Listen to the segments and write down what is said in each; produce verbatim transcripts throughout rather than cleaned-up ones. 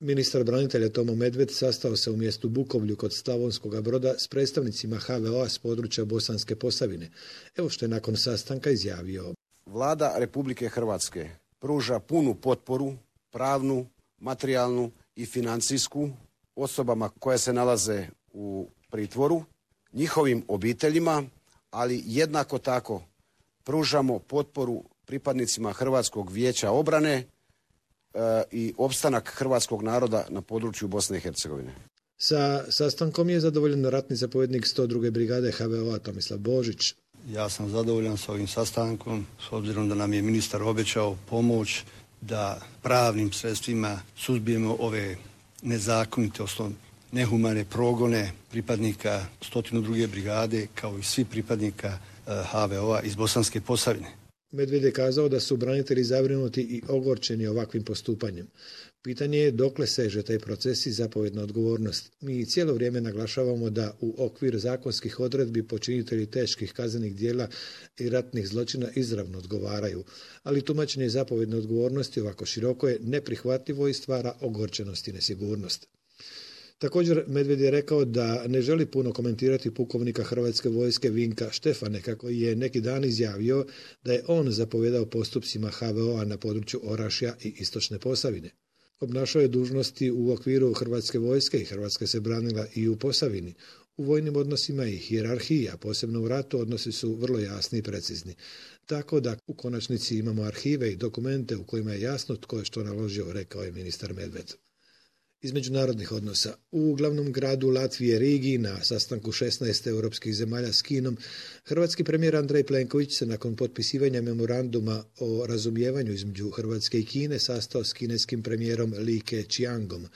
Ministar branitelja Tomo Medved sastao se u mjestu Bukovlju kod Slavonskog Broda s predstavnicima ha ve o a s područja Bosanske Posavine. Evo što je nakon sastanka izjavio. Vlada Republike Hrvatske pruža punu potporu, pravnu, materijalnu i financijsku osobama koje se nalaze u pritvoru, njihovim obiteljima, ali jednako tako pružamo potporu pripadnicima Hrvatskog vijeća obrane e, i opstanak hrvatskog naroda na području Bosne i Hercegovine. Sa sastankom je zadovoljan ratni zapovjednik sto druge brigade ha ve o a Tomislav Božić. Ja sam zadovoljan s ovim sastankom, s obzirom da nam je ministar obećao pomoć da pravnim sredstvima suzbijemo ove nezakonite, osnovne nehumane progone pripadnika sto druge brigade kao i svi pripadnika ha ve o a iz Bosanske Posavine. Medved je kazao da su branitelji zabrinuti i ogorčeni ovakvim postupanjem. Pitanje je dokle seže taj proces i zapovjedna odgovornost. Mi cijelo vrijeme naglašavamo da u okvir zakonskih odredbi počinitelji teških kaznenih djela i ratnih zločina izravno odgovaraju, ali tumačenje zapovjedne odgovornosti ovako široko je neprihvatljivo i stvara ogorčenost i nesigurnost. Također Medved je rekao da ne želi puno komentirati pukovnika Hrvatske vojske Vinka Štefaneka koji je neki dan izjavio da je on zapovijedao postupcima ha ve o a na području Orašja i Istočne Posavine. Obnašao je dužnosti u okviru Hrvatske vojske i Hrvatska se branila i u Posavini. U vojnim odnosima i hijerarhiji, a posebno u ratu, odnosi su vrlo jasni i precizni. Tako da u konačnici imamo arhive i dokumente u kojima je jasno tko je što naložio, rekao je ministar Medved. Iz međunarodnih odnosa. U glavnom gradu Latvije Rigi na sastanku šesnaest europskih zemalja s Kinom, hrvatski premijer Andrej Plenković se nakon potpisivanja memoranduma o razumijevanju između Hrvatske i Kine sastao s kineskim premijerom Li Keqiangom.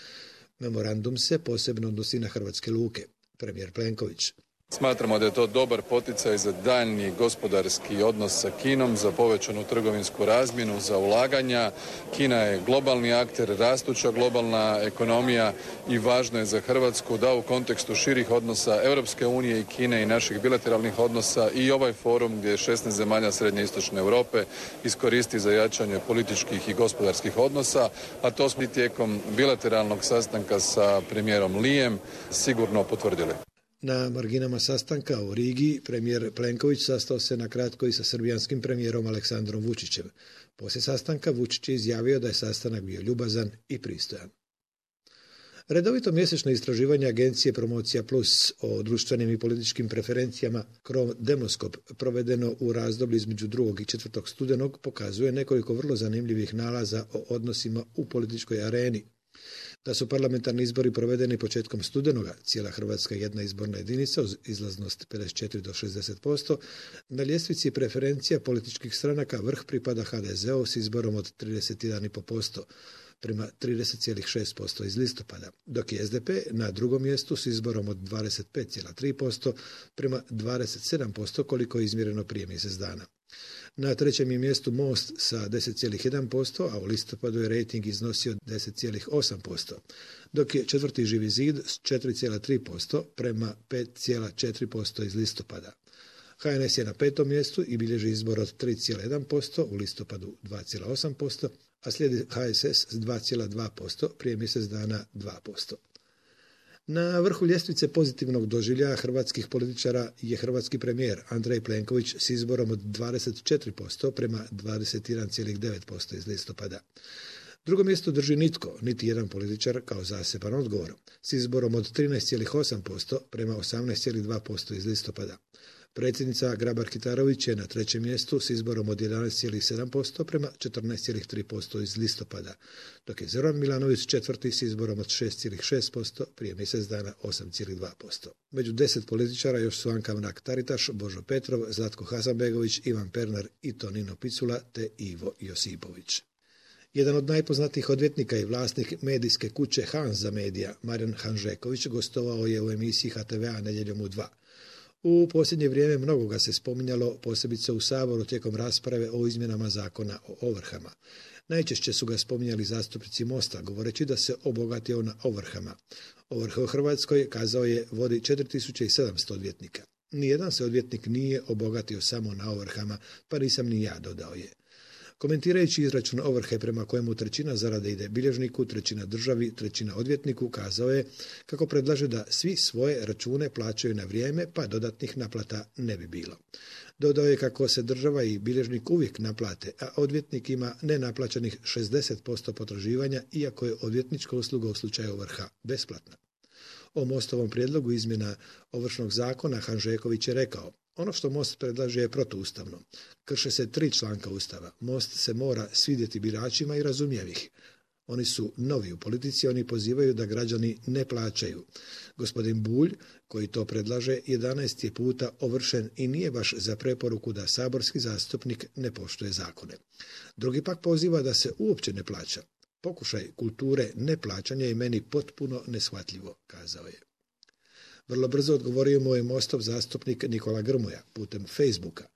Memorandum se posebno odnosi na hrvatske luke. Premijer Plenković. Smatramo da je to dobar poticaj za daljnji gospodarski odnos sa Kinom, za povećanu trgovinsku razmjenu, za ulaganja. Kina je globalni akter, rastuća globalna ekonomija i važno je za Hrvatsku da u kontekstu širih odnosa Europske unije i Kine i naših bilateralnih odnosa i ovaj forum gdje je šesnaest zemalja Srednje i Istočne Europe iskoristi za jačanje političkih i gospodarskih odnosa, a to smo tijekom bilateralnog sastanka sa premijerom Lijem sigurno potvrdili. Na marginama sastanka u Rigi premijer Plenković sastao se na kratko i sa srbijanskim premijerom Aleksandrom Vučićem. Poslije sastanka Vučić je izjavio da je sastanak bio ljubazan i pristojan. Redovito mjesečno istraživanje agencije Promocija Plus o društvenim i političkim preferencijama Krom Demoskop provedeno u razdoblju između drugog i četvrtog studenog pokazuje nekoliko vrlo zanimljivih nalaza o odnosima u političkoj areni. Da su parlamentarni izbori provedeni početkom studenoga, cijela Hrvatska jedna izborna jedinica uz izlaznost pedeset četiri do šezdeset posto, na ljestvici preferencija političkih stranaka vrh pripada ha de zeu s izborom od trideset jedan zarez pet posto prema trideset zarez šest posto iz listopada, dok je es de pe na drugom mjestu s izborom od dvadeset pet zarez tri posto prema dvadeset sedam posto koliko je izmjereno prije mjesec dana. Na trećem je mjestu Most sa deset zarez jedan posto, a u listopadu je rejting iznosio deset zarez osam posto, dok je četvrti Živi zid s četiri zarez tri posto prema pet zarez četiri posto iz listopada. ha en es je na petom mjestu i bilježi izbor od tri zarez jedan posto, u listopadu dva zarez osam posto, a slijedi ha es es s dva zarez dva posto, prije mjesec dana dva posto. Na vrhu ljestvice pozitivnog doživljaja hrvatskih političara je hrvatski premijer Andrej Plenković s izborom od dvadeset četiri posto prema dvadeset jedan zarez devet posto iz listopada. Drugo mjesto drži nitko, niti jedan političar kao zaseban odgovor, s izborom od trinaest zarez osam posto prema osamnaest zarez dva posto iz listopada. Predsjednica Grabar-Kitarović je na trećem mjestu s izborom od jedanaest zarez sedam posto prema četrnaest zarez tri posto iz listopada, dok je Zoran Milanović četvrti s izborom od šest zarez šest posto, prije mjesec dana osam zarez dva posto. Među deset političara još su Anka Mrak-Taritaš, Božo Petrov, Zlatko Hasanbegović, Ivan Pernar i Tonino Picula te Ivo Josipović. Jedan od najpoznatijih odvjetnika i vlasnik medijske kuće Hanza Media, Marijan Hanžeković, gostovao je u emisiji ha te vea Nedjeljom u dva. U posljednje vrijeme mnogo ga se spominjalo, posebice u Saboru tijekom rasprave o izmjenama zakona o ovrhama. Najčešće su ga spominjali zastupnici Mosta, govoreći da se obogatio na ovrhama. Ovrhe u Hrvatskoj, kazao je, vodi četiri tisuće sedamsto odvjetnika. Nijedan se odvjetnik nije obogatio samo na ovrhama, pa nisam ni ja, dodao je. Komentirajući izračun ovrhe prema kojemu trećina zarade ide bilježniku, trećina državi, trećina odvjetniku, kazao je kako predlaže da svi svoje račune plaćaju na vrijeme, pa dodatnih naplata ne bi bilo. Dodao je kako se država i bilježnik uvijek naplate, a odvjetnik ima nenaplaćenih šezdeset posto potraživanja, iako je odvjetnička usluga u slučaju ovrha besplatna. O Mostovom prijedlogu izmjena Ovršnog zakona Hanžeković je rekao: ono što Most predlaže je protuustavno. Krše se tri članka Ustava. Most se mora svidjeti biračima i razumije ih. Oni su novi u politici, oni pozivaju da građani ne plaćaju. Gospodin Bulj, koji to predlaže, jedanaest je puta ovršen i nije baš za preporuku da saborski zastupnik ne poštuje zakone. Drugi pak poziva da se uopće ne plaća. Pokušaj kulture neplaćanja je meni potpuno neshvatljivo, kazao je. Vrlo brzo odgovorio mu je Mostov zastupnik Nikola Grmoja putem Facebooka.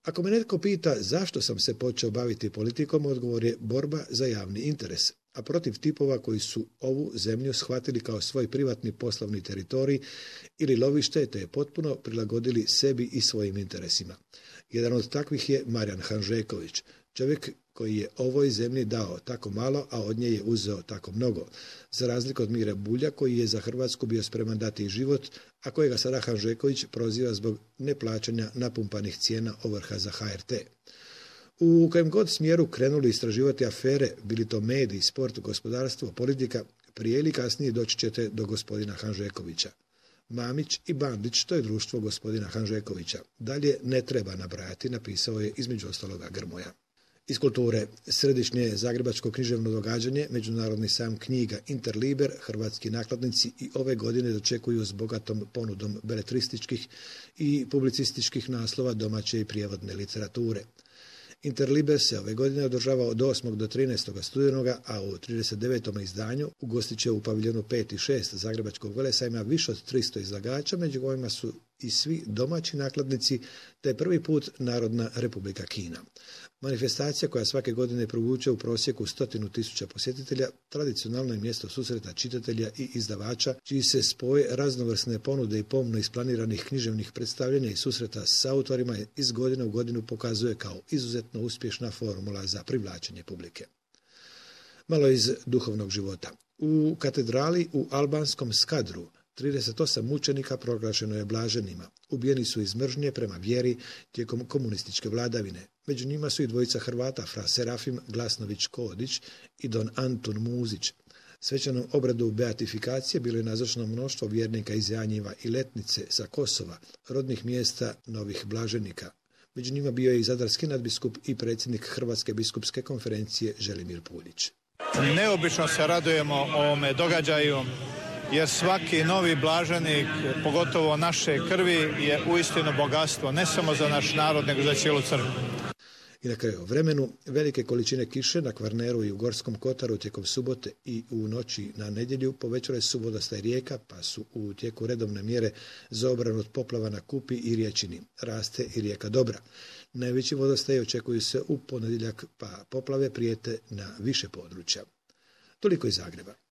Ako me netko pita zašto sam se počeo baviti politikom, odgovor je borba za javni interes, a protiv tipova koji su ovu zemlju shvatili kao svoj privatni poslovni teritorij ili lovište, te je potpuno prilagodili sebi i svojim interesima. Jedan od takvih je Marijan Hanžeković, čovjek koji je ovoj zemlji dao tako malo, a od nje je uzeo tako mnogo, za razliku od Mire Bulja, koji je za Hrvatsku bio spreman dati život, a kojega sada Hanžeković proziva zbog neplaćanja napumpanih cijena ovrha za H R T. U kojem god smjeru krenuli istraživati afere, bili to mediji, sport, gospodarstvo, politika, prije ili kasnije doći ćete do gospodina Hanžekovića. Mamić i Bandić, to je društvo gospodina Hanžekovića. Dalje ne treba nabrajati, napisao je između ostaloga Grmoja. Iz kulture, središnje zagrebačko književno događanje, Međunarodni sajam knjiga Interliber, hrvatski nakladnici i ove godine dočekuju s bogatom ponudom beletrističkih i publicističkih naslova domaće i prijevodne literature. Interliber se ove godine održava od osmog do trinaestog studenoga, a u trideset devetom izdanju ugostit će u paviljonu pet i šest Zagrebačkog velesajma više od tristo izlagača, među kojima su i svi domaći nakladnici, te prvi put Narodna Republika Kina. Manifestacija koja svake godine privuče u prosjeku stotinu tisuća posjetitelja, tradicionalno je mjesto susreta čitatelja i izdavača, čiji se spoj raznovrsne ponude i pomno isplaniranih književnih predstavljanja i susreta s autorima iz godine u godinu pokazuje kao izuzetno uspješna formula za privlačenje publike. Malo iz duhovnog života. U katedrali u albanskom Skadru trideset osam mučenika proglašeno je blaženima. Ubijeni su iz mržnje prema vjeri tijekom komunističke vladavine. Među njima su i dvojica Hrvata, fra Serafim Glasnović-Kodić i don Antun Muzić. Svećanom obradu beatifikacije bilo je nazočno mnoštvo vjernika iz Janjeva i Letnice sa Kosova, rodnih mjesta novih blaženika. Među njima bio je i zadarski nadbiskup i predsjednik Hrvatske biskupske konferencije Želimir Puljić. Neobično se radujemo ovome događaju, jer svaki novi blaženik, pogotovo naše krvi, je uistinu bogatstvo, ne samo za naš narod, nego za cijelu crkvu. I na kraju vremenu, velike količine kiše na Kvarneru i u Gorskom Kotaru tijekom subote i u noći na nedjelju povećale su vodostaj rijeka, pa su u tijeku redovne mjere za obranu od poplava na Kupi i Riječini. Raste i rijeka Dobra. Najveći vodostaj očekuju se u ponedjeljak, pa poplave prijete na više područja. Toliko iz Zagreba.